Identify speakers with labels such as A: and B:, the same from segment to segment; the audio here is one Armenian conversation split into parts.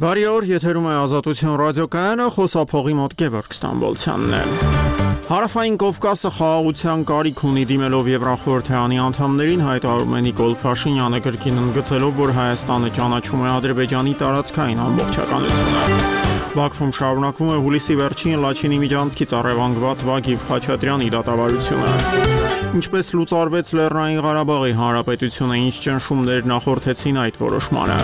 A: Բարի օր, եթերում է Ազատություն ռադիոկայանը, խոսափողի մոտ Գևորգ Ստամբոլցյանն է։ Հարավային Կովկասը խաղաղության կարիք ունի դիմելով Եվրախորհրդարանի անդամներին, հայտարարում է Նիկոլ Փաշինյանը, կրկին ընդգծելով, որ Հայաստանը ճանաչում է Ադրբեջանի տարածքային ամբողջականությունը։ Բաքվում շարունակվում է հուլիսի վերջին Լաչինի միջանցքից առևանգված Վագիվ Խաչատրյանի դատավարությունը։ Ինչպես լուծարվեց Լեռնային Ղարաբաղի Հանրապետությունը, ինչ ճնշումներ նախորդեցին այդ որոշմանը։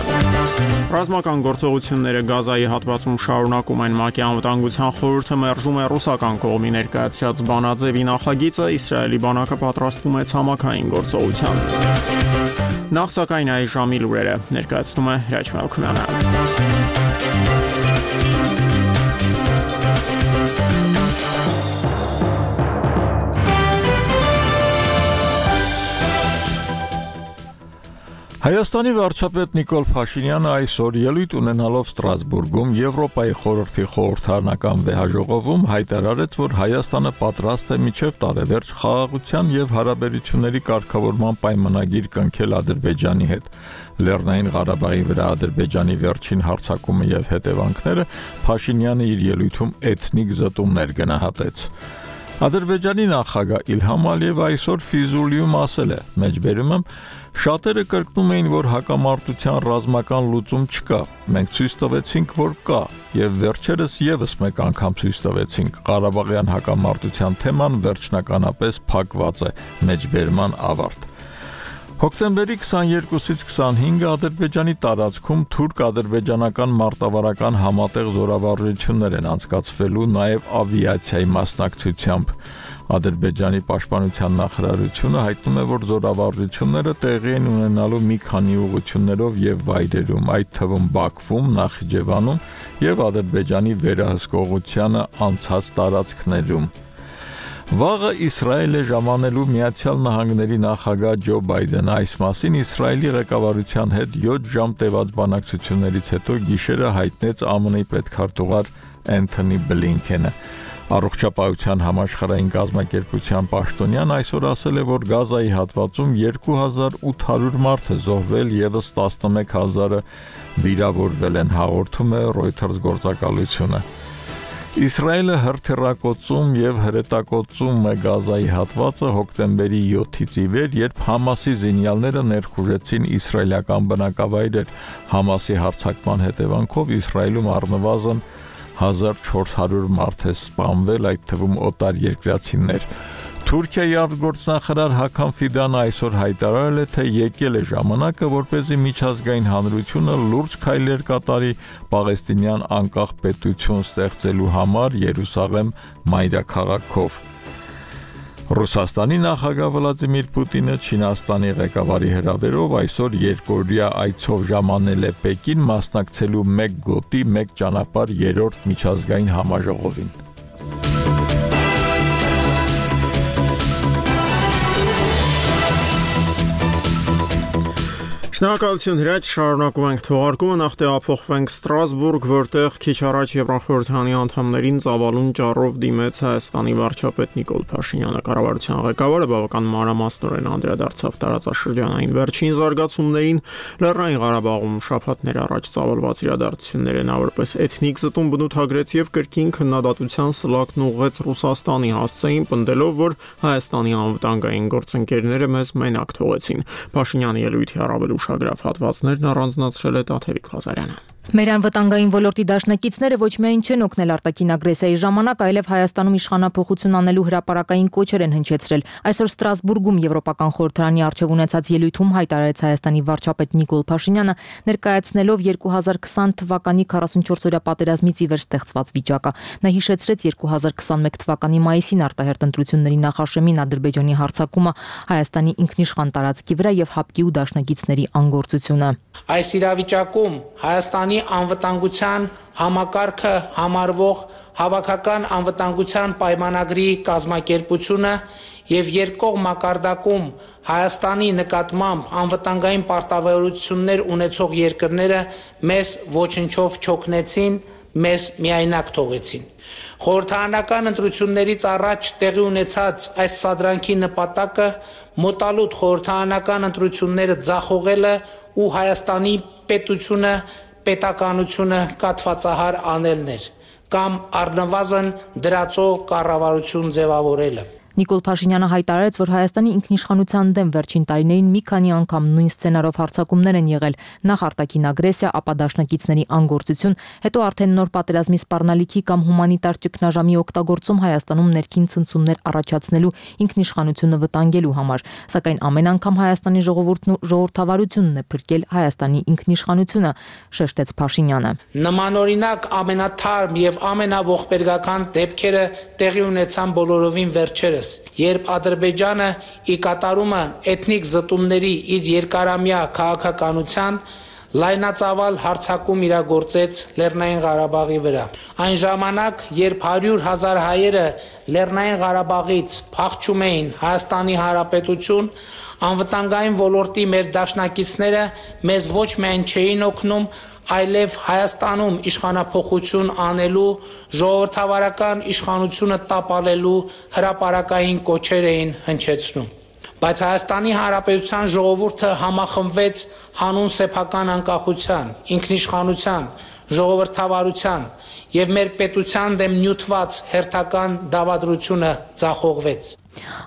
A: Ռազմական գործողությունները Գազայի հատվածում շարունակում են։ ՄԱԿ-ի անվտանգության խորհուրդը մերժում է ռուսական կողմի ներկայացրած բանաձևի նախագիծը, Իսրայելի բանակը պատրաստվում է ցամաքային գործողության։ Նախ սակայն այս ժամի լուրերը ներկայացնում է Հրաչ Մելքումյանը։
B: Հայաստանի վարչապետ Նիկոլ Փաշինյանը այսօր ելույթ ունենալով Ստրասբուրգում Եվրոպայի խորհրդի խորհրդարանական վեհաժողովում հայտարարեց, որ Հայաստանը պատրաստ է մինչև տարեվերջ խաղաղության եւ հարաբերությունների կարգավորման պայմանագիր կնքել Ադրբեջանի հետ։ Լեռնային Ղարաբաղի վրա Ադրբեջանի վերջին հարձակումը եւ հետևանքները Փաշինյանը իր ելույթում էթնիկ զտումներ գնահատեց։ Ադրբեջանի նախագահ Իլհամ Ալիևը այսօր Ֆիզուլիում ասել է. «Մեջբերում եմ, շատերը կրկնում էին, որ հակամարտության ռազմական լուծում չկա։ Մենք ցույց տվեցինք, որ կա, եւ վերջերս եւս մեկ անգամ ցույց տվեցինք. Ղարաբաղյան հակամարտության թեման վերջնականապես փակված է»։ Մեջբերման ավարտ։ Հոկտեմբերի 22-ից 25-ը Ադրբեջանի տարածքում թուրք-ադրբեջանական մարտավարական համատեղ զորավարժություններ են անցկացվելու նաև ավիացիայի մասնակցությամբ։ Ադրբեջանի պաշտպանության նախարարությունը հայտնում է, որ զորավարժությունները տեղի են ունենալու մի քանի ուղղություններով եւ վայրերում, այդ թվում Բաքվում, Նախիջևանում եւ Ադրբեջանի վերահսկողությանը անցած տարածքներում։ Վաղը Իսրայել է ժամանելու Միացյալ Նահանգների նախագահ Ջո Բայդենը, այս մասին Իսրայելի ղեկավարության հետ 7 ժամ տևած բանակցություններից հետո գիշերը հայտնեց ԱՄՆ-ի պետքարտուղար Էնթոնի Բլինքենը։ Առողջապահության համաշխարհային կազմակերպության պաշտոնյան այսօր ասել է, որ Գազայի հատվածում 2800 մարդ է զոհվել, եւս 11000-ը վիրավորվել են, հաղորդում է Reuters գործակալությունը։ Իսրայելը հրթիռակոծում եւ հրետակոծում է Գազայի հատվածը հոկտեմբերի 7-ից ի վեր, երբ Համասի զինյալները ներխուժեցին իսրայելական բնակավայրեր։ Համասի հարձակման հետևանքով Իսրայելում առնվազն 1400 մարդ է սպանվել, այդ թվում օտարերկրացիներ։ Թուրքիայի արտգործնախարար Հական Ֆիդանը այսօր հայտարարել է, թե եկել է ժամանակը, որպեսզի միջազգային հանրությունը լուրջ քայլեր կատարի պաղեստինյան անկախ պետություն ստեղծելու համար Երուսաղեմ մայրաքաղաքով։ Ռուսաստանի նախագահ Վլադիմիր Պուտինը Չինաստանի ղեկավարի հրավերով այսօր երկօրյա այցով ժամանել է Պեկին մասնակցելու մեկ գոտի, մեկ ճանապարհ երրորդ միջազգային համաժողովին։
A: Շնորհակալություն Հրաչ, շարունակում ենք թողարկումը, նախ տեղափոխվենք Ստրասբուրգ, որտեղ քիչ առաջ Եվրախորհրդարանի անդամներին ծավալուն ճառով դիմեց Հայաստանի վարչապետ Նիկոլ Փաշինյանը։ Կառավարության ղեկավարը բավական մանրամասնորեն անդրադարձավ տարածաշրջանային վերջին զարգացումներին, Լեռնային Ղարաբաղում շաբաթներ առաջ ծավալված իրադարձությունները նա որպես էթնիկ զտում բնութագրեց եւ կրկին քննադատության սլակն ուղղեց Ռուսաստանի հասցեին, պնդելով, որ Հայաստանի անվտանգային գործընկերները մեզ մենակ թողեցին։ Փաշինյանի ելույթի առավել ուշագրավ հատվածներն առանձնացրել է Տաթևիկ Ղազարյանը։
C: Մեր անվտանգային ոլորտի դաշնակիցները ոչ միայն չեն օգնել արտաքին ագրեսիայի ժամանակ, այլև Հայաստանում իշխանափոխություն անելու հրապարակային կոչեր են հնչեցրել։ Այսօր Ստրասբուրգում Եվրոպական խորհրդարանի առջև ունեցած ելույթում հայտարարեց Հայաստանի վարչապետ Նիկոլ Փաշինյանը, ներկայացնելով 2020 թվականի 44-օրյա պատերազմից ի վեր ստեղծված վիճակը։ Նա հիշեցրեց 2021 թվականի մայիսին արտահերտ ընտրությունների նախաշեմին Ադրբեջանի հարձակումը Հայաստանի ինքնիշխան տարածքի վրա եւ ՀԱՊԿ-ի ու դաշնակիցների անգործությունը։
D: Այս իրավիճակում Հայաստանի անվտանգության համակարգը համարվող հավաքական անվտանգության պայմանագրի կազմակերպությունը եւ երկկողմ մակարդակում Հայաստանի նկատմամբ անվտանգային պարտավորություններ ունեցող երկրները մեզ ոչնչով չօգնեցին, մեզ միայնակ թողեցին։ Խորհրդարանական ընտրություններից առաջ տեղի ունեցած այս սադրանքի նպատակը մոտալուտ խորհրդարանական ընտրությունները ձախողելը ու Հայաստանի պետությունը պետականությունը կաթվածահար անելն էր կամ առնվազն դրածո կառավարություն ձևավորելը։
C: Նիկոլ Փաշինյանը հայտարարեց, որ Հայաստանի ինքնիշխանության դեմ վերջին տարիներին մի քանի անգամ նույն սցենարով հարձակումներ են եղել, նախ արտաքին ագրեսիա, ապա դաշնակիցների անգործություն, հետո արդեն նոր պատերազմի սպառնալիքի կամ հումանիտար ճգնաժամի օգտագործում Հայաստանում ներքին ցնցումներ առաջացնելու ինքնիշխանությունը վտանգելու համար, սակայն ամեն անգամ Հայաստանի ժողովուրդն ու ժողովրդավարությունն է փրկել Հայաստանի ինքնիշխանությունը, շեշտեց Փաշինյանը։
D: Նմանօրինակ ամենաթարմ եւ ամենաողբերգական դեպքերը տեղի ունեցան բոլորովին վերջերս, երբ Ադրբեջանը ի կատարումը էթնիկ զտումների իր երկարամյա քաղաքականության լայնածավալ հարձակում իրագործեց Լեռնային Ղարաբաղի վրա։ Այն ժամանակ, երբ 100,000 հայերը Լեռնային Ղարաբաղից փախչում էին Հայաստանի Հանրապետություն, անվտանգային ոլորտի մեր դաշնակիցները մեզ ոչ միայն չէին օգնում, այլև Հայաստանում իշխանափոխություն անելու, ժողովրդավարական իշխանությունը տապալելու հրապարակային կոչեր էին հնչեցնում։ Բայց Հայաստանի Հանրապետության ժողովուրդը համախմբվեց հանուն սեփական անկախության, ինքնիշխանության, ժողովրդավարության եւ մեր պետության դեմ նյութված հերթական դավադրությունը ձախողվեց։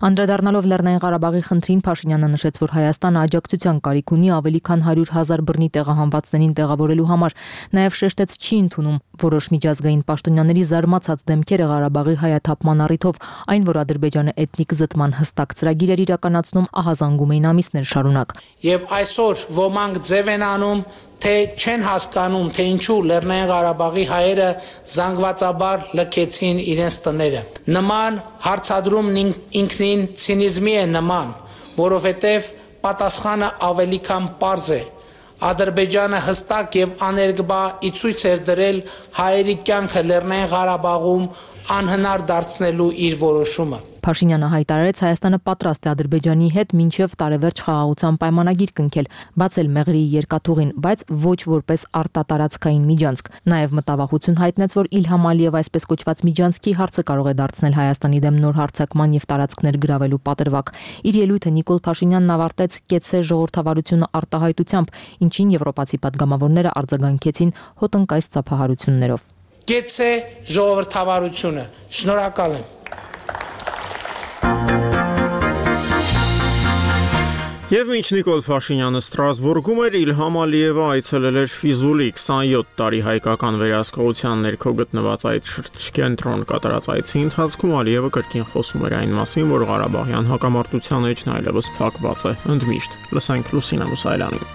C: Անդրադառնալով Լեռնային Ղարաբաղի խնդրին, Փաշինյանը նշեց, որ Հայաստանը աջակցության կարիք ունի ավելի քան 100,000 բռնի տեղահանվածներին տեղավորելու համար, նաև շեշտեց չի ընդունում որոշ միջազգային պաշտոնյաների զարմացած դեմքերը Ղարաբաղի հայաթափման առիթով, այն, որ Ադրբեջանը էթնիկ զտման հստակ ծրագիր էր իրականացնում, ահազանգում էին ամիսներ շարունակ։
D: Եվ այսօր ոմանք ձև են անում, թե չեն հասկանում, թե ինչու Լեռնային Ղարաբաղի հայերը զանգվածաբար լքեցին իրենց տները։ Նման հարցադրումն ինքնին ցինիզմի է նման, որովհետև պատասխանը ավելի քան պարզ է։ Ադրբեջանը հստակ եւ աներկբա ի ցույց էր դրել հայերի կյանքը Լեռնային Ղարաբաղում անհնար դարձնելու իր որոշումը։
C: Փաշինյանը հայտարարեց, Հայաստանը պատրաստ է Ադրբեջանի հետ մինչև տարեվերջ խաղաղության պայմանագիր կնքել, բացել Մեղրիի երկաթուղին, բայց ոչ որպես արտատարածքային միջանցք։ Նաև մտավախություն հայտնեց, որ Իլհամ Ալիև այսպես կոչված միջանցքի հարցը կարող է դարձնել Հայաստանի դեմ նոր հարձակման եւ տարածքներ գրավելու պատրվակ։ Իր ելույթը Նիկոլ Փաշինյանն ավարտեց կեցե ժողովրդավարությունը արտահայտությամբ, ինչին եվրոպացի պատգամավորները արձագանքեցին հոտնկայս ծափահարություններով։
D: Կեցե ժողովրդավարությունը։ Շնորհակալ եմ։
A: Եվ մինչ Նիկոլ Փաշինյանը Ստրասբուրգում էր, Իլհամ Ալիևը այցելել էր Ֆիզուլի 27 տարի հայկական վերահսկողության ներքո գտնված այդ շրջկենտրոն կատարած այցի ընթացքում Ալիևը կրկին խոսում էր այն մասին, որ Ղարաբաղյան հակամարտության էջն այլևս փակված է, ընդմիշտ։ Լսենք Լուսինա Մուսայելյանին։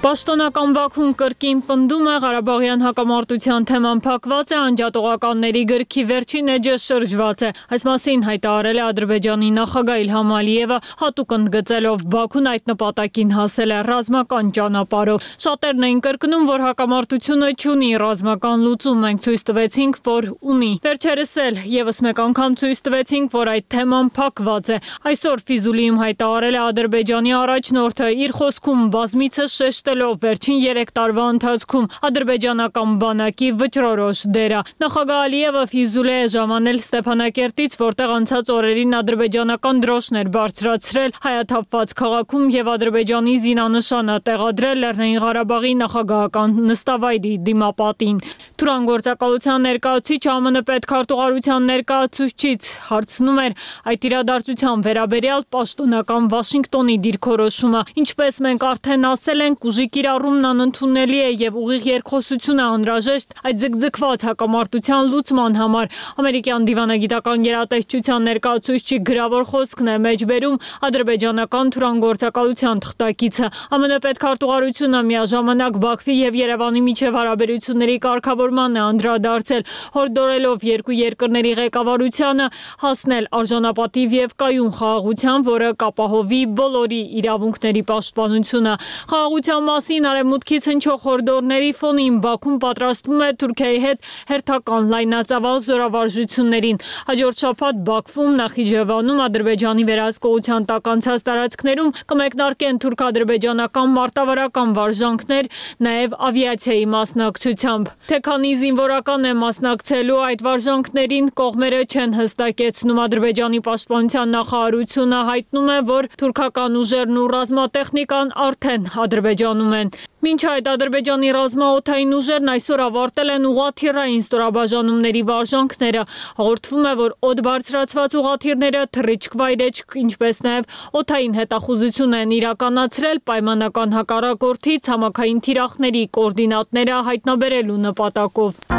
E: Պաշտոնական Բաքուն կրկին պնդում է Ղարաբաղյան հակամարտության թեման փակված է, անջատողականների գրքի վերջին էջը շրջված է։ Այս մասին հայտարարել է Ադրբեջանի նախագահ Իլհամ Ալիևը, հատուկ ընդգծելով Բաքուն այդ նպատակին հասել է ռազմական ճանապարհով։ Շատերն էին կրկնում, որ հակամարտությունը չունի ռազմական լուծում, մենք ցույց տվեցինք, որ ունի։ Վերջերս էլ եւս մեկ անգամ ցույց տվեցինք, որ այդ թեման փակված է։ Այսօր Ֆիզուլիում հայտարարել է Ադրբեջանի առաջնորդը, իր խոսքում բազմիցս շեշտելով վերջին 3 տարվա ընթացքում ադրբեջանական բանակի վճռորոշ դերը։ Նախագահ Ալիևը Ֆիզուլի է ժամանել Ստեփանակերտից, որտեղ անցած օրերին ադրբեջանական դրոշներ բարձրացրել հայաթափված քաղաքում եւ Ադրբեջանի զինանշանը տեղադրել Լեռնային Ղարաբաղի նախագահական նստավայրի դիմապատին։ Թուրանգործակալության ներկայացուցիչ ԱՄՆ պետքարտուղարության ներկայացուցիչից հարցնում էր այդ իրադարձության վերաբերյալ պաշտոնական Վաշինգտոնի դիրքորոշումը։ Ինչպես մենք արդեն ասել ենք, ուժի կիրառումն անընդունելի է եւ ուղիղ երկխոսություն է անհրաժեշտ այդ ձգձգված հակամարտության լուծման համար։ Ամերիկյան դիվանագիտական գերատեսչության ներկայացուցիչի գրավոր խոսքն է մեջբերում ադրբեջանական թուրանգործակալության թղթակիցը։ ԱՄՆ պետքարտուղարությունը միաժամանակ Բաքվի եւ Երևանի միջև հարաբերությունների կարգավորման է անդրադարձել, հորդորելով երկու երկրների ղեկավարությանը հասնել արժանապատիվ եւ կայուն խաղաղության, որը կապահովի բոլորի իրավունքների պաշտպանությունը։ Խաղաղության մասին արևմուտքից հնչող հորդորների ֆոնին Բաքուն պատրաստվում է Թուրքիայի հետ հերթական լայնածավալ զորավարժություններին։ Հաջորդ շաբաթ Բաքվում, Նախիջևանում, Ադրբեջանի վերահսկողության տակ անցած տարածքներում կմեկնարկեն թուրք-ադրբեջանական մարտավարական վարժանքներ, նաև ավիացիայի մասնակցությամբ։ Թե քանի զինվորական է մասնակցելու այդ վարժանքներին, կողմերը չեն հստակեցնում։ Ադրբեջանի պաշտպանության նախարարությունը հայտնում է, որ թուրքական ուժերն ու ռազմատեխնիկան արդեն Ադրբեջանում ստորաբաժանում են։ Մինչ այդ Ադրբեջանի ռազմաօդային ուժերն այսօր ավարտել են ուղղաթիռային ստորաբաժանումների վարժանքները։ Հաղորդվում է, որ օդ բարձրացված ուղղաթիռները թռիչք-վայրեջք, ինչպես նաև օդային հետախուզություն են իրականացրել պայմանական հակառակորդի ցամաքային թիրախների կոորդինատները հայտնաբերելու նպատակով։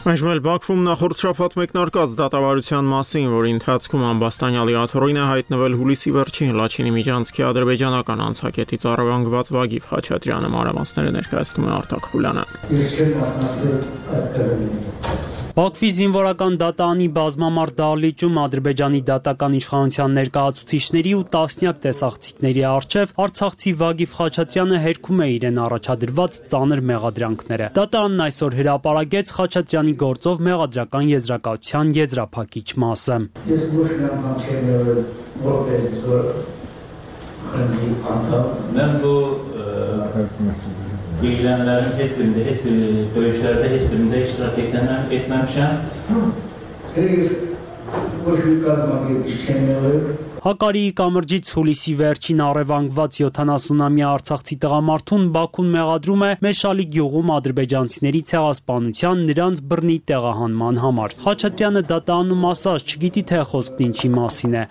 A: Այժմ էլ Բաքվում նախորդ շաբաթ մեկնարկած դատավարության մասին, որի ընթացքում ամբաստանյալի աթոռին է հայտնվել հուլիսի վերջին Լաչինի միջանցքի ադրբեջանական անցակետից առևանգված Վագիվ Խաչատրյանը, մանրամասները ներկայացնում է Արտակ Խուլյանը։
F: Բաքվի զինվորական դատարանի բազմամարդ դահլիճում Ադրբեջանի դատական իշխանության ներկայացուցիչների ու տասնյակ տեսախցիկների առջև արցախցի Վագիվ Խաչատրյանը հերքում է իրեն առաջադրված ծանր մեղադրանքները։ Դատարանն այսօր հրապարակեց Խաչատրյանի գործով մեղադրական եզրակացության եզրափակիչ մասը։
G: İlgilenenlerin dövüşlerde hiçbirinde iştirak etmemişim.
F: Հակարիի կամրջից հուլիսի վերջին առևանգված 70-ամյա արցախցի տղամարդուն Բաքուն մեղադրում է Մեշալի գյուղում ադրբեջանցիների ցեղասպանության նրանց բռնի տեղահանման համար։ Խաչատրյանը դատարանում ասաց, չգիտի թե խոսքն ինչի մասին է։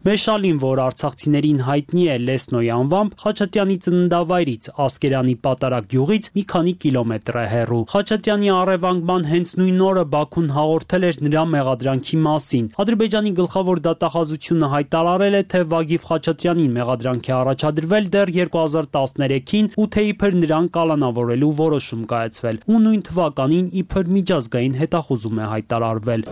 F: Մեշալին, որ արցախցիներին հայտնի է Լեսնոյի անվամբ, Խաչատրյանի ծննդավայրից Ասկերանի պատարակ գյուղից մի քանի կիլոմետր է հեռու։ Խաչատրյանի առևանգման հենց նույն օրը Բաքուն հաղորդել էր նրա մեղադրանքի մասին։ Ադրբեջանի գլխավոր դատախազությունը հայտարարել է, թե Վագիվ Խաչատրյանին մեղադրանք է առաջադրվել դեռ 2013-ին ու թե իբր նրան կալանավորելու որոշում կայացվել։ Ու նույն թվականին իբր միջազգային հետախուզում է հայտարարվել։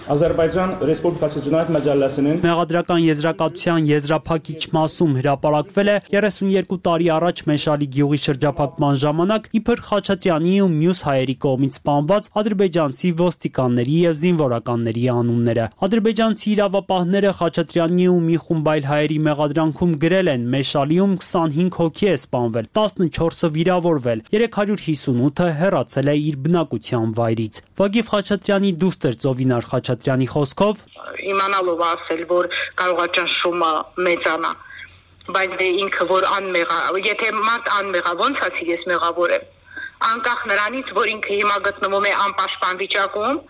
H: Ադրբեջան Ռեսպուբլիկայի ջնայդ մաջալասının
F: մեղադրական եզրակացության եզրափակիչ մասում հրապարակվել է 32 տարի առաջ Մեշալի գյուղի շրջափակման ժամանակ իբր Խաչատրյանի ու մյուս հայերի կողմից սպանված ադրբեջանցի ոստիկանների եւ զինվորականների անունները։ Ադրբեջանցի իրավապահները Խաչատրյանի ու մի խումբ այլ հայերի մեղադրանքում գրել են Մեշալիում 25 հոգի է սպանվել, 14-ը վիրավորվել, 358-ը հեռացել է իր բնակության վայրից։ Վագիվ Խաչատրյանի դուստր Ծովինար Խաչատրյանի խոսքով
I: իմանալով ասել, որ կարող է ճնշումը մեծանա, բայց դե ինքը որ անմեղա, եթե մարդ անմեղա, ոնց ասի ես մեղավոր եմ, անկախ նրանից, որ ինքը հիմա գտնվում է անպաշտպան վիճակում,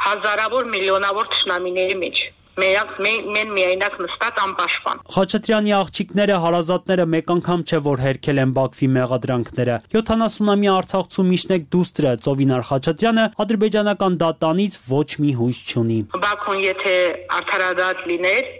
I: հազարավոր միլիոնավոր թշնամիների մեջ, մեն միայնակ նստած անպաշտպան։
F: Խաչատրյանի աղջիկները, հարազատները մեկ անգամ չէ, որ հերքել են Բաքվի մեղադրանքները։ 70-ամյա Արցախցու միջնեկ դուստրը Ծովինար Խաչատրյանը ադրբեջանական դատարանից ոչ մի հույս չունի։
I: Բաքուն եթե արդարադատ լիներ,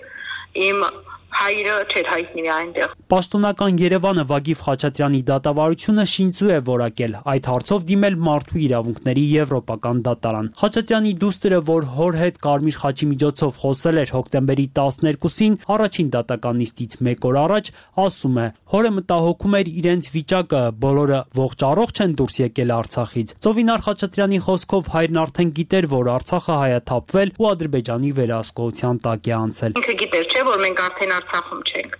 I: իմ հայրը չէր հայտնի այնտեղ։
F: Պաշտոնական Երևանը Վագիվ Խաչատրյանի դատավարությունը շինծու է որակել, այդ հարցով դիմել Մարդու իրավունքների եվրոպական դատարան։ Խաչատրյանի դուստրը, որ հոր հետ Կարմիր խաչի միջոցով խոսել էր հոկտեմբերի 12-ին, առաջին դատական նիստից մեկ օր առաջ, ասում է, հորը մտահոգում էր իրենց վիճակը, բոլորը ողջ-առողջ են դուրս եկել Արցախից։ Ծովինար Խաչատրյանի խոսքով հայրն արդեն գիտեր, որ Արցախը հայաթափվել ու Ադրբեջանի վերահսկողության տակ է անցել։
I: Ինքը գիտեր, չէ, որ մենք արդեն Արցախում չենք։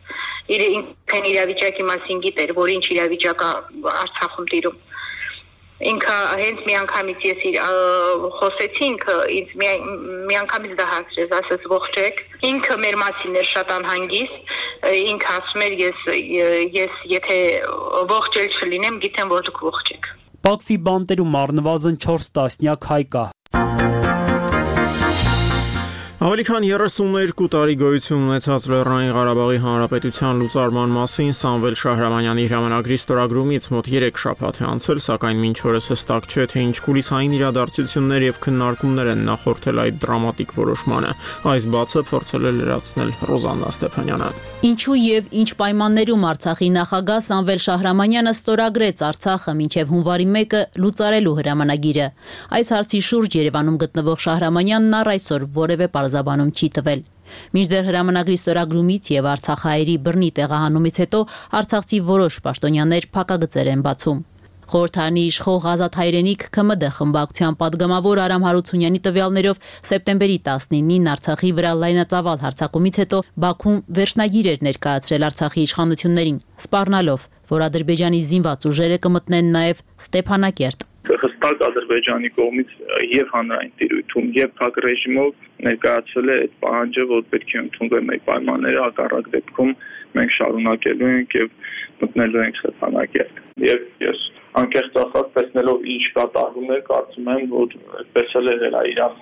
I: Ինքն իրավիճակի մասին գիտեր, որ ինչ իրավիճակ է Արցախում տիրում։ Ինքը հենց միանգամից ես խոսեցի, ինքը ինձ միանգամից դա հասրեց, ասես ողջ եք։ Ինքը մեր մասին էր շատ անհանգիստ, ինքը ասում էր ես եթե ողջ էլ չլինեմ, գիտեմ, որ դուք ողջ եք։
F: Բաքվի բանտերում առնվազն 4 տասնյակ հայ կա։
A: Ավելի քան 32 տարի գոյություն ունեցած Լեռնային Ղարաբաղի Հանրապետության լուծարման մասին Սամվել Շահրամանյանի հրամանագրի ստորագրումից մոտ 3 շաբաթ է անցել, սակայն մինչ օրս հստակ չէ, թե ինչ կուլիսային իրադարձություններ եւ քննարկումներ են նախորդել այդ դրամատիկ որոշմանը։ Այս բացը փորձել է լրացնել Ռոզաննա Ստեփանյանը։
J: Ինչու եւ ինչ պայմաններում Արցախի նախագահ Սամվել Շահրամանյանը ստորագրեց Արցախը մինչեւ հունվարի 1-ը լուծարելու հրամանագիրը։ Այս հարցի շուրջ Երևանում գտնվող Շահրամանյանն առ այսօր որևէ բանում չի տվել։ Մինչդեռ հրամանագրի ստորագրումից եւ արցախահայերի բռնի տեղահանումից հետո արցախցի որոշ պաշտոնյաներ փակագծեր են բացում։ Խորհրդարանի իշխող Ազատ հայրենիք ՔՄԴ խմբակցության падգամավոր Արամ Հարությունյանի տվյալներով սեպտեմբերի 19-ին Արցախի վրա լայնածավալ հարձակումից հետո Բաքուն վերջնագիր էր ներկայացրել Արցախի իշխանություններին, սպառնալով, որ Ադրբեջանի զինված ուժերը կմտնեն նաեւ Ստեփանակերտ։
K: հստակ Ադրբեջանի կողմից եւ հանրային տիրույթում եւ փակ ռեժիմով ներկայացվել է այդ պահանջը, որ պետք է ընդունվեն այդ պայմանները, հակառակ դեպքում մենք շարունակելու ենք եւ մտնելու ենք խթանակել։ Եվ ես անկեղծ ասած տեսնելով ինչ կատարվում է, կարծում եմ, որ այդպես էլ է իրավ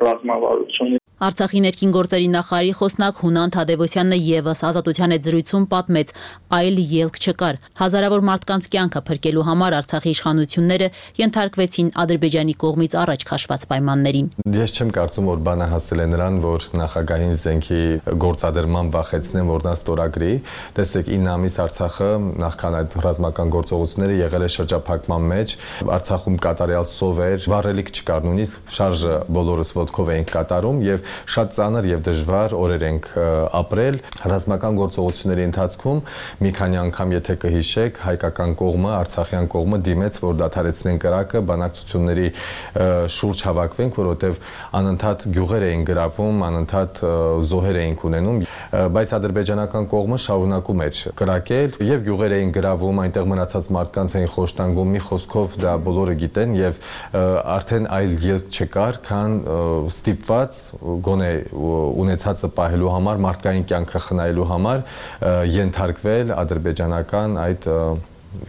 K: ռազմավարությունը։
J: Արցախի ներքին գործերի նախարարի խոսնակ Հունան Թադևոսյանն եւս Ազատության հետ զրույցում պատմեց, այլ ելք չկար։ Հազարավոր մարդկանց կյանքը փրկելու համար Արցախի իշխանությունները ենթարկվեցին Ադրբեջանի կողմից առաջ քաշված պայմաններին։
L: Ես չեմ կարծում, որ բանը հասել է նրան, որ նախագահային զենքի գործադրման վախեցնեն, որ նա ստորագրի։ Տեսեք, 9 ամիս Արցախը նախքան այդ ռազմական գործողությունները եղել է շրջափակման մեջ, Արցախում կատարյալ սով էր, վառելիք չկար, նույնիսկ շարժը բոլորս ոտքով էինք կատարում եւ շատ ծանր եւ դժվար օրեր ենք ապրել ռազմական գործողությունների ընթացքում մի քանի անգամ եթե կհիշեք հայկական կողմը արցախյան կողմը դիմեց որ դադարեցնեն կրակը բանակցությունների շուրջ հավաքվենք որովհետեւ անընդհատ գյուղեր էին գրավում անընդհատ զոհեր էին ունենում բայց ադրբեջանական կողմը շարունակում էր կրակել եւ գյուղեր էին գրավում այնտեղ մնացած մարդկանց էին խոշտանգում մի խոսքով դա բոլորը գիտեն եւ արդեն այլ ելք չկար քան ստիպված գոնե ունեցածը պահելու համար մարդկային կյանքը խնայելու համար ենթարկվել ադրբեջանական այդ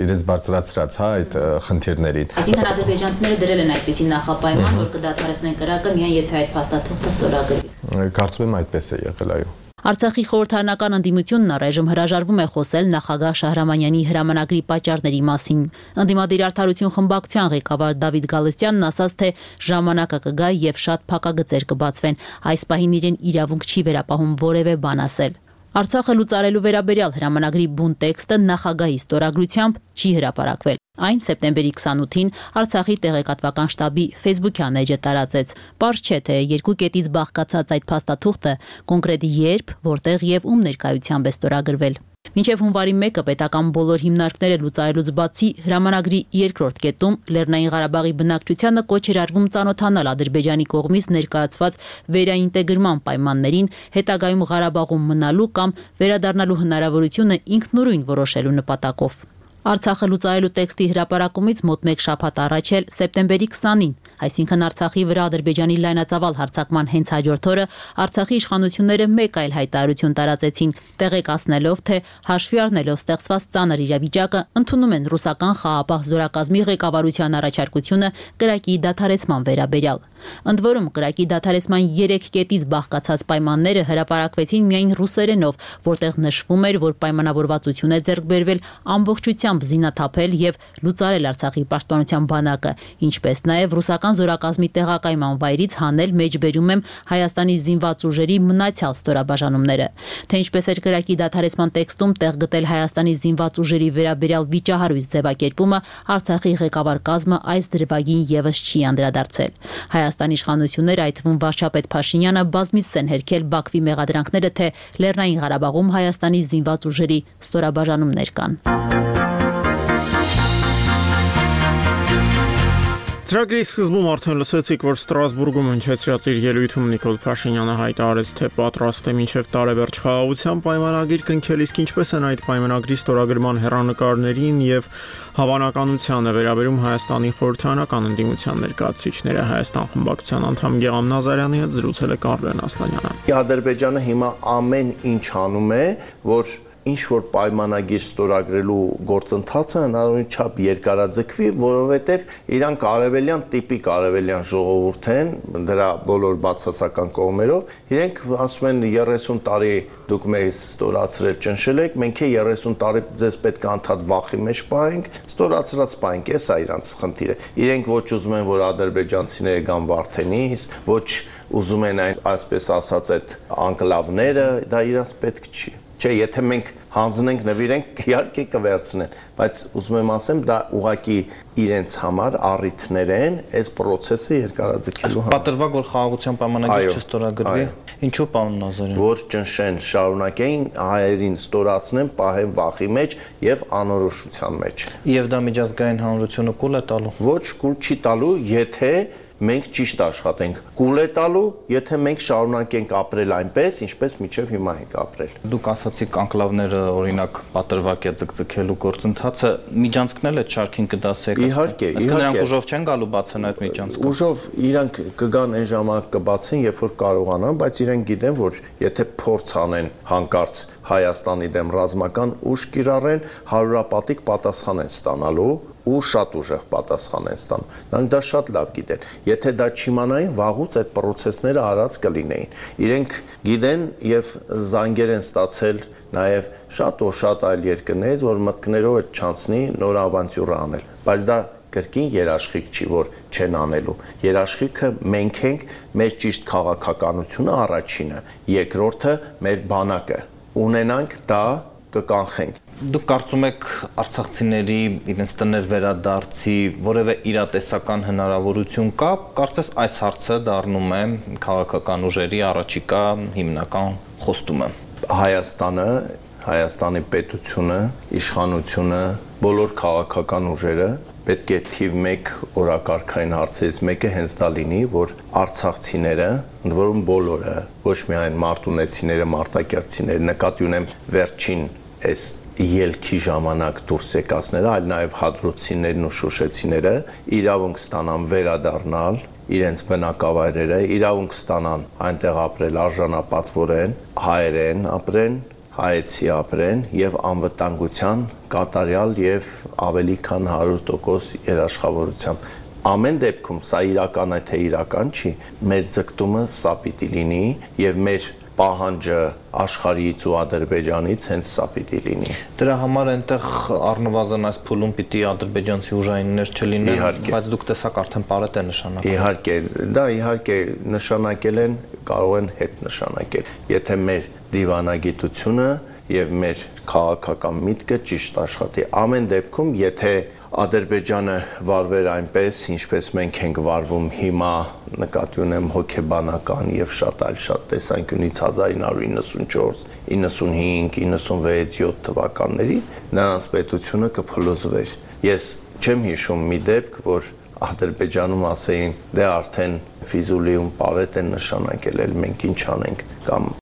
L: իրենց բարձրացրած այդ խնդիրներին։
J: Այսինքն ադրբեջանցիները դրել են այդպիսի նախապայման, որ կդադարեցնեն կրակը միայն եթե այդ փաստաթուղթը ստորագրվի։
L: Կարծում եմ այդպես է եղել, այո։
J: Արցախի խորհրդարանական ընդդիմությունն առայժմ հրաժարվում է խոսել նախագահ Շահրամանյանի հրամանագրի պատճառների մասին։ Ընդդիմադիր արդարություն խմբակցության ղեկավար Դավիթ Գալստյանն ասաց, թե ժամանակը կգա եւ շատ փակագծեր կբացվեն։ Այս պահին իրեն իրավունք չի վերապահում որևէ բան ասել։ Արցախը լուծարելու վերաբերյալ հրամանագրի բուն տեքստը նախագահի ստորագրությամբ չի հրապարակվել։ Այն սեպտեմբերի 28-ին Արցախի տեղեկատվական շտաբի Facebook-յան էջը տարածեց։ Պարզ չէ, թե երկու կետից բաղկացած այդ փաստաթուղթը կոնկրետ երբ, որտեղ եւ ում ներկայությամբ է ստորագրվել։ Մինչև հունվարի 1-ը պետական բոլոր հիմնարկները լուծարելուց բացի հրամանագրի երկրորդ կետում Լեռնային Ղարաբաղի բնակչությանը կոչ էր արվում ծանոթանալ Ադրբեջանի կողմից ներկայացված վերաինտեգրման պայմաններին, հետագայում Ղարաբաղում մնալու կամ վերադառնալու հնարավորությունը ինքնուրույն որոշելու նպատակով։ Արցախը լուծարելու տեքստի հրապարակումից մոտ 1 շաբաթ առաջ էլ սեպտեմբերի 20-ին, այսինքն Արցախի վրա Ադրբեջանի լայնածավալ հարձակման հենց հաջորդ օրը Արցախի իշխանությունները մեկ այլ հայտարարություն տարածեցին, տեղեկացնելով, թե հաշվի առնելով ստեղծված ծանր իրավիճակը ընդունում են ռուսական խաղաղապահ զորակազմի ղեկավարության առաջարկությունը կրակի դադարեցման վերաբերյալ։ Ընդ որում կրակի դադարեցման 3 կետից բաղկացած պայմանները հրապարակվեցին միայն ռուսերենով, որտեղ նշվում էր, որ պայմանավորվածություն է ձեռք բերվել ամբողջությամբ զինաթափել եւ լուծարել Արցախի պաշտպանության բանակը, ինչպես նաեւ ռուսական զորակազմի տեղակայման վայրից հանել մեջբերում եմ Հայաստանի զինված ուժերի մնացյալ ստորաբաժանումները։ Թե ինչպես էր կրակի դադարեցման տեքստում տեղ գտել Հայաստանի զինված ուժերի վերաբերյալ վիճահարույց ձևակերպումը, Արցախի ղեկավար կազմը այս դրվագին եւս չի անդրադարձել։ Հայաստանի իշխանությունները, այդ թվում վարչապետ Փաշինյանը, բազմիցս են հերքել Բաքվի մեղադրանքները, թե Լեռնային Ղարաբաղում Հայաստանի զինված ուժերի ստորաբաժանումներ կան։
A: Ծրագրի սկզբում արդեն լսեցիք, որ Ստրասբուրգում հնչեցրած իր ելույթում Նիկոլ Փաշինյանը հայտարարեց, թե պատրաստ է մինչև տարեվերջ խաղաղության պայմանագիր կնքել, իսկ ինչպես են այդ պայմանագրի ստորագրման հեռանկարներին եւ հավանականությանը վերաբերում Հայաստանի խորհրդարանական ընդդիմության ներկայացուցիչները Հայաստան խմբակցության անդամ Գեգամ Նազարյանի հետ զրուցել է Կարլեն Ասլանյանը։
M: Ադրբեջանը հիմա ամեն ինչ անում է, որ ինչ որ պայմանագիր ստորագրելու գործընթացը հնարավորին չափ երկարաձգվի, որովհետև իրանք արևելյան տիպիկ արևելյան ժողովուրդ են, դրա բոլոր բացասական կողմերով, իրենք ասում են 30 տարի դուք մեզ ստորացրել ճնշել եք, մենք 30 տարի ձեզ պետք է անդադ վախի մեջ պահենք, ստորացրած պահենք, էս է իրանց խնդիրը։ Իրենք ոչ ուզում են, որ ադրբեջանցիները գան Վարդենիս, ոչ ուզում են այսպես ասած այդ անկլավները, դա իրանց պետք չի։ Չէ, եթե մենք հանձնենք, նվիրենք, իհարկե կվերցնեն, բայց ուզում եմ ասեմ, դա ուղղակի իրենց համար առիթներ են այս process-ը երկարաձգելու համար։
N: Պատրվակ, որ խաղաղության պայմանագիր չստորագրվի, ինչու պարոն Նազարյան։
M: Որ ճնշեն, շարունակեն հայերին ստորացնեն, պահեն վախի մեջ եւ անորոշության մեջ։
N: Եվ դա միջազգային հանրությունը կուլ է տալու։
M: Ոչ, կուլ չի տալու, եթե մենք ճիշտ աշխատենք կուլ է տալու, եթե մենք շարունակենք ապրել այնպես, ինչպես մինչև հիմա ենք ապրել։
N: Դուք ասացիք անկլավները օրինակ պատրվակ է ձգձգելու գործընթացը միջանցքնել է շարքին կդասեք։
M: Իհարկե,
N: նրանք ուժով չեն գալու բացեն այդ միջանցքը։
M: Ուժով իրանք կգան այն ժամանակ կբացեն, երբ որ կարողանան, բայց իրենք գիտեն, որ եթե փորձ անեն հանկարծ Հայաստանի դեմ ռազմական ուժ կիրառեն, 100-ապատիկ պատասխան են ստանալու ու շատ ուժեղ պատասխան են ստանում։ Նրանք դա շատ լավ գիտեն։ Եթե դա չիմանային, վաղուց այդ process-ները արած կլինեին։ Իրենք գիտեն եւ զանգեր են ստացել նաեւ շատ այլ երկրներից, որ մտքներով չանցնի նոր ավանտյուրա անել։ Բայց դա կրկին երաշխիք չի, որ չեն անելու։ Երաշխիքը մենք ենք, մեր ճիշտ քաղաքականությունը առաջինը, երկրորդը մեր բանակը։ Ունենանք դա կկանխենք։
N: Դուք կարծում եք արցախցիների իրենց տներ վերադարձի որևէ իրատեսական հնարավորություն կա, կարծես այս հարցը դառնում է քաղաքական ուժերի առաջիկա հիմնական խոստումը։
M: Հայաստանը, Հայաստանի պետությունը, իշխանությունը, բոլոր քաղաքական ուժերը պետք է թիվ 1 օրակարգային հարցերից մեկը հենց դա լինի, որ արցախցիները, ընդ որում բոլորը, ոչ միայն մարտունեցիները, մարտակերտցիները, նկատի ունեմ վերջին այս ելքի ժամանակ դուրս եկածները, այլ նաև հադրութցիներն ու շուշեցիները իրավունք ստանան վերադառնալ իրենց բնակավայրերը, իրավունք ստանան այնտեղ ապրել արժանապատվորեն, հայերեն ապրեն, հայեցի ապրեն եւ անվտանգության կատարյալ եւ ավելի քան 100% երաշխավորությամբ։ Ամեն դեպքում սա իրական է թե իրական չի, մեր ձգտումը սա պիտի լինի եւ մեր պահանջը աշխարհից ու Ադրբեջանից հենց սա պիտի լինի։
N: Դրա համար այնտեղ առնվազն այս փուլում պիտի ադրբեջանցի ուժայիններ չլինեն, բայց դուք տեսակ արդեն բարետ է նշանակել։
M: Իհարկե, դա իհարկե նշանակել են, կարող են հետ նշանակել։ Եթե մեր դիվանագիտությունը եւ մեր քաղաքական միտքը ճիշտ աշխատի։ Ամեն դեպքում, եթե Ադրբեջանը վարվեր այնպես, ինչպես մենք ենք վարվում հիմա, նկատի ունեմ հոգեբանական եւ շատ տեսանկյունից 1994, 95, 96, 7 թվականներին, նրանց պետությունը կփլուզվեր։ Ես չեմ հիշում մի դեպք, որ Ադրբեջանում ասեին, դե արդեն Ֆիզուլիում պարետ են նշանակել, մենք ինչ անենք կամ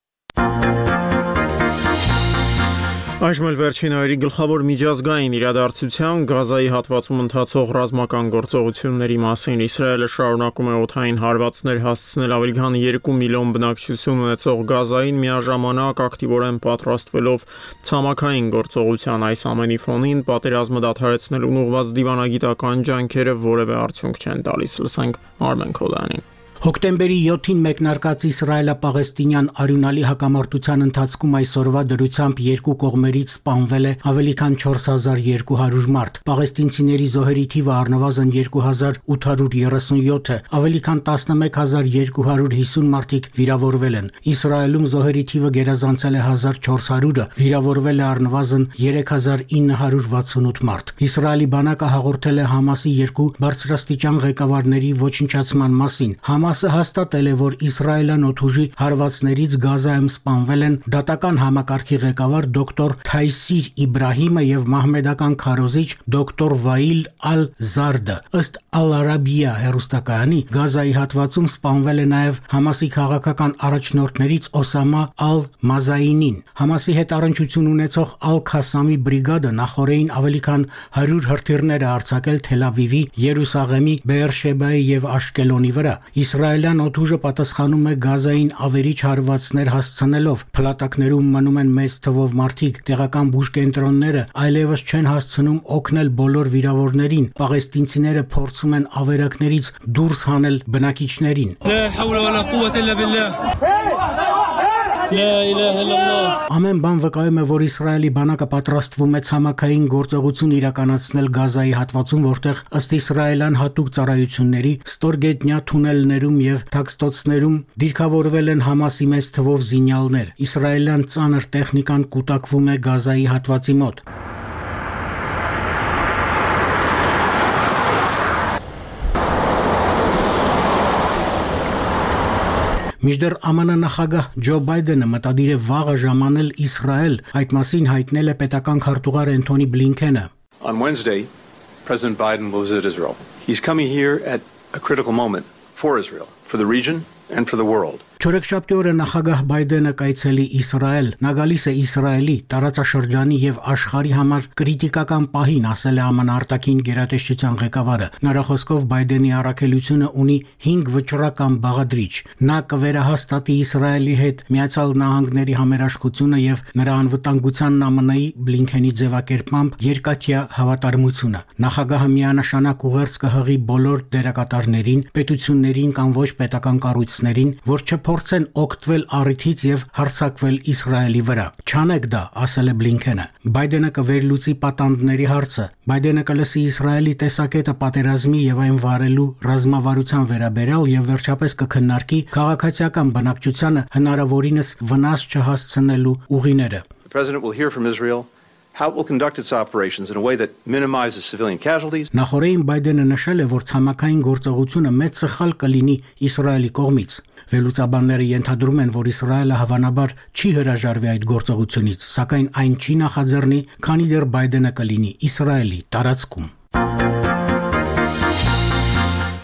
A: Այժմ էլ վերջին օրերի գլխավոր միջազգային իրադարձության Գազայի հատվածում ընթացող ռազմական գործողությունների մասին Իսրայելը շարունակում է օդային հարվածներ հասցնել ավելի քան 2 միլիոն բնակչություն ունեցող Գազային միաժամանակ ակտիվորեն պատրաստվելով ցամաքային գործողության այս ամենի ֆոնին պատերազմը դադարեցնելուն ուղղված դիվանագիտական ջանքերը որևէ արդյունք չեն տալիս, լսենք Արմեն Քոլյանին։
O: Հոկտեմբերի 7-ին մեկնարկած Իսրայելա-Պաղեստինյան արյունալի հակամարտության ընթացքում այսօրվա դրությամբ երկու կողմերից սպանվել է ավելի քան 4200 մարդ։ Պաղեստինցիների զոհերի թիվը առնվազն 2837-ը, ավելի քան 11250 մարդիկ վիրավորվել են։ Իսրայելում զոհերի թիվը գերազանցել է 1400-ը, վիրավորվել է առնվազն 3968 մարդ։ Իսրայելի բանակը հաղորդել է Համասի երկու բարձրաստիճան ղեկավարների ոչնչացման մասին։ Համասը հաստատել է, որ Իսրայելյան օդուժի հարվածներից Գազայում սպանվել են դատական համակարգի ղեկավար դոկտոր Թայսիր Իբրահիմը եւ մահմեդական քարոզիչ դոկտոր Վայիլ Ալ-Զարդը։ Ըստ Ալ-Արաբիա հեռուստակայանի Գազայի հատվածում սպանվել է նաեւ Համասի քաղաքական առաջնորդներից Օսամա Ալ-Մազայինին։ Համասի հետ առնչություն ունեցող Ալ-Քասամի բրիգադը նախորդին ավելի քան 100 հրթիռներ է արձակել Թել Ավիվի, Երուսաղեմի, Բեերշեբայի եւ Աշկելոնի վրա։ Իսրայելյան օդուժը պատասխանում է Գազային ավերիչ հարվածներ հասցնելով։ Փլատակներում մնում են մեծ թվով մարդիկ, տեղական բուժկենտրոնները այլևս չեն հասցնում օգնել բոլոր վիրավորներին։ Պաղեստինցիները փորձում են ավերակներից դուրս հանել բնակիչներին։ Ամեն բան վկայում է, որ Իսրայելի բանակը պատրաստվում է ցամաքային գործողություն իրականացնել Գազայի հատվածում, որտեղ ըստ իսրայելյան հատուկ ծառայությունների ստորգետնյա թունելներում եւ թաքստոցներում դիրքավորվել են Համասի մեծ թվով զինյալներ։ Իսրայելյան ծանր տեխնիկան կուտակվում է Գազայի հատվածի մոտ։ Մինչդեռ ԱՄՆ նախագահ Ջո Բայդենը մտադիր է վաղը ժամանել Իսրայել, այդ մասին հայտնել է պետական քարտուղար Անթոնի Բլինքենը։
P: On Wednesday, President Biden will visit Israel. He's coming here at a critical moment for Israel, for the region and for the world.
O: Չորեքշաբթի օրը նախագահ Բայդենը կայցելի Իսրայել, նա գալիս է Իսրայելի, տարածաշրջանի եւ աշխարհի համար քրիտիկական պահին, ասել է ԱՄՆ արտաքին գերատեսչության ղեկավարը։ Նրա խոսքով Բայդենի առաքելությունը ունի 5 վճռական բաղադրիչ։ Նա կվերահաստատի Իսրայելի հետ Միացյալ Նահանգների համերաշխությունը եւ նրա անվտանգությանն ԱՄՆ-ի Բլինքենի ձևակերպմամբ երկաթյա հավատարմությունը։ Նախագահը միանշանակ ուղերձ կհղի բոլոր դերակատարներին, պետություններին կամ ոչ պետական կառույցներին, որ փորձեն օգտվել առիթից եւ հարձակվել Իսրայելի վրա։ Չանեք դա, ասել է Բլինքենը։ Բայդենը կվերլուծի պատանդների հարցը։ Բայդենը կլսի Իսրայելի տեսակետը պատերազմի եւ այն վարելու ռազմավարության վերաբերյալ եւ վերջապես կքննարկի քաղաքացիական բնակչությանը հնարավորինս վնաս չհասցնելու ուղիները։
P: The president will hear from Israel how it will conduct its operations in a way that minimizes civilian casualties.
O: Նախորդին Բայդենը նշել է, որ ցամաքային գործողությունը մեծ սխալ կլինի Իսրայելի կողմից։ Վերլուծաբանները ենթադրում են, որ Իսրայելը հավանաբար չի հրաժարվի այդ գործողությունից, սակայն այն չի նախաձեռնի, քանի դեռ Բայդենը կլինի Իսրայելի տարածքում։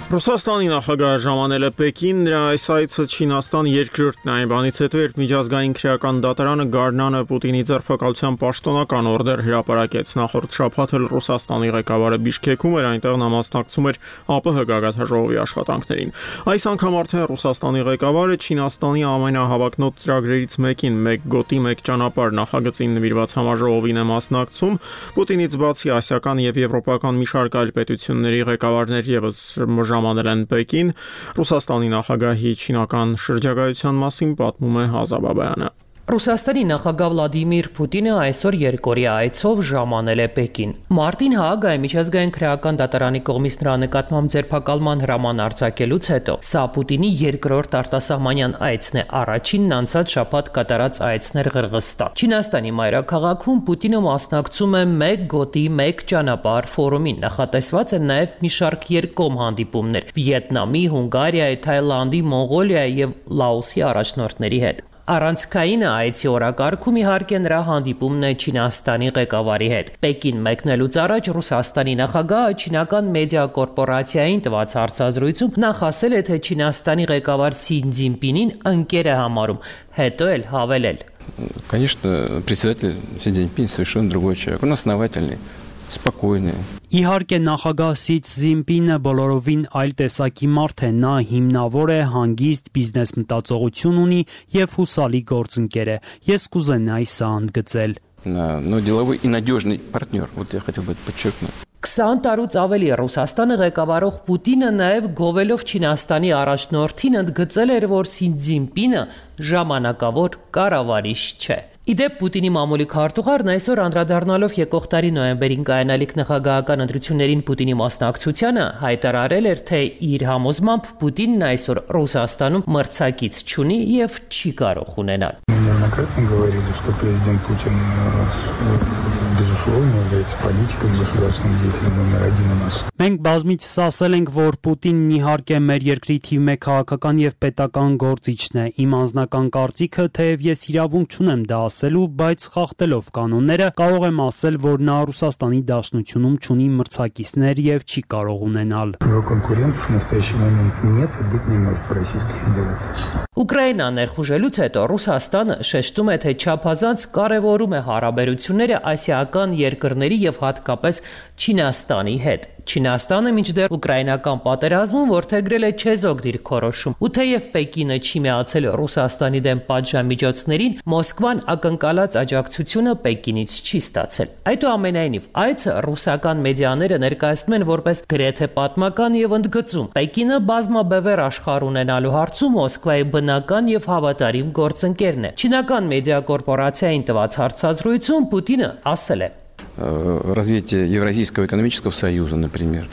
A: Ռուսաստանի նախագահը ժամանել է Պեկին, նրա այս այցը Չինաստան երկրորդն է այն բանից հետո, երբ միջազգային քրեական դատարանը գարնանը Պուտինի ձերբակալության պաշտոնական օրդեր հրապարակեց։ Նախորդ շաբաթ էլ Ռուսաստանի ղեկավարը Բիշկեքում էր, այնտեղ նա մասնակցում էր ԱՊՀ գագաթնաժողովի աշխատանքներին։ Այս անգամ արդեն Ռուսաստանի ղեկավարը Չինաստանի ամենահավակնոտ ծրագրերից մեկին «Մեկ գոտի, մեկ ճանապարհ» նախագծին նվիրված համաժողովին է մասնակցում։ Պուտինից բացի ասիական եւ եվրոպական մի շարք այլ պետությունների ղեկավարներ եւս ժամանել են Պեկին։ Ռուսաստանի նախագահի չինական շրջագայության մասին պատմում է Հազա Բաբայանը։
Q: Ռուսաստանի նախագահ Վլադիմիր Պուտինը այսօր երկօրյա այցով ժամանել է Պեկին։ Մարտին Հաագայի միջազգային քրեական դատարանի կողմից նրա նկատմամբ ձերբակալման հրաման արձակելուց հետո սա Պուտինի երկրորդ արտասահմանյան այցն է, առաջինն անցած շաբաթ կատարած այցն էր Ղրղստան։ Չինաստանի մայրաքաղաքում Պուտինը մասնակցում է «Մեկ գոտի, մեկ ճանապարհ» ֆորումին։ Նախատեսված են նաև մի շարք երկկողմ հանդիպումներ Վիետնամի, Հունգարիայի, Թայլանդի, Մոնղոլիայի եւ Լաոսի առաջնորդների հետ։ Առանցքայինը այցի օրակարգում իհարկե նրա հանդիպումն է Չինաստանի ղեկավարի հետ։ Պեկին մեկնելուց առաջ Ռուսաստանի նախագահը չինական մեդիա կորպորացիային տված հարցազրույցում նախ ասել է, թե Չինաստանի ղեկավար Սի Ցզինպինին ընկեր է համարում, հետո էլ հավելել.
R: Конечно, председатель Си Цзиньпин совершенно другой человек, он основательный, спокойный.
F: Իհարկե նախագահ Սի Ցզինպինը բոլորովին այլ տեսակի մարդ է, նա հիմնավոր է, հանգիստ բիզնես մտածողություն ունի եւ հուսալի գործընկեր է։ Ես կուզենայի սա ընդգծել։
R: Но деловой и надежный партнер, вот я хотел бы это подчеркнуть.
Q: 20 տարուց ավելի Ռուսաստանը ղեկավարող Պուտինը նաև գովելով Չինաստանի առաջնորդին ընդգծել էր, որ Սի Ցզինպինը ժամանակավոր կառավարիչ չէ։ Իդեպ Պուտինի մամուլի քարտուղարն այսօր անդրադառնալով եկող տարի նոյեմբերին կայանալիք նախագահական ընտրություններին Պուտինի մասնակցությանը հայտարարել էր, թե իր համոզմամբ Պուտինն այսօր Ռուսաստանում մրցակից չունի եւ չի կարող ունենալ։
S: Неоднократно говорили, что президент Путин, безусловно, является политиком, государственным деятелем номер один у нас.
F: Մենք բազմիցս ասել ենք, որ Պուտինն իհարկե մեր երկրի թիվ 1 քաղաքական եւ պետական գործիչն է։ Իմ անձնական կարծիքը, թեև ես իրավունք չունեմ դա ասելու, բայց խախտելով կանոնները կարող եմ ասել, որ նա Ռուսաստանի Դաշնությունում չունի մրցակիցներ եւ չի կարող ունենալ։
S: Его конкурентов в настоящий момент нет и быть не может в Российской Федерации.
Q: Ուկրաինան ներխուժելուց հետո Ռուսաստանը շեշտում է, թե չափազանց կարևորում է հարաբերությունները ասիական երկրների եւ հատկապես Չինաստանի հետ։ Չինաստանը մինչդեռ ուկրաինական պատերազմում որդեգրել է չեզոք դիրքորոշում, ու թեև Պեկինը չի միացել Ռուսաստանի դեմ պատժամիջոցներին, Մոսկվան ակնկալած աջակցությունը Պեկինից չի ստացել։ Այդուամենայնիվ, այցը ռուսական մեդիաները ներկայացնում են որպես գրեթե պատմական եւ ընդգծում։ Պեկինը բազմաբևեռ աշխարհ ունենալու հարցում Մոսկվայի բնական եւ հավատարիմ գործընկերն է։ Չինական մեդիա կորպորացիային տված հարցազրույցում Պուտինը ասել է.
R: Развитие Евразийского экономического союза, например,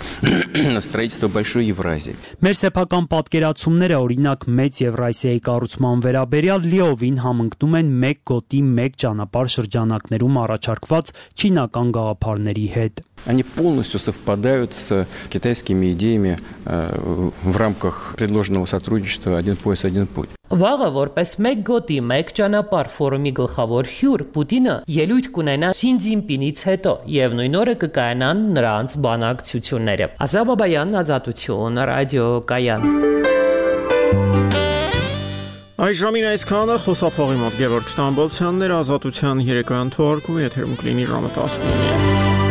R: строительство большой Евразии.
F: Մեր սեփական պատկերացումները, օրինակ, մեծ Եվրասիայի կառուցման վերաբերյալ լիովին համընկնում են մեկ գոտի, մեկ ճանապարհ շրջանակներում առաջարկված չինական գաղափարների հետ։
R: Они полностью совпадают с китайскими идеями в рамках предложенного сотрудничества «Один пояс, один путь».
Q: Վաղը որպես մեկ գոտի, մեկ ճանապարհ ֆորումի գլխավոր հյուր Պուտինը ելույթ կունենա Սի Ցզինպինից հետո եւ նույն օրը կկայանան նրանց բանակցությունները։ Ազատ Բաբայան, Ազատություն, ռադիո Կայան։
A: Այժմին այսքանը խոսափողի մոտ Գևորգ Ստամբոլցյանն էր, Ազատության երեկոյան թողարկումը եթերում կլինի ժամը 19-ին։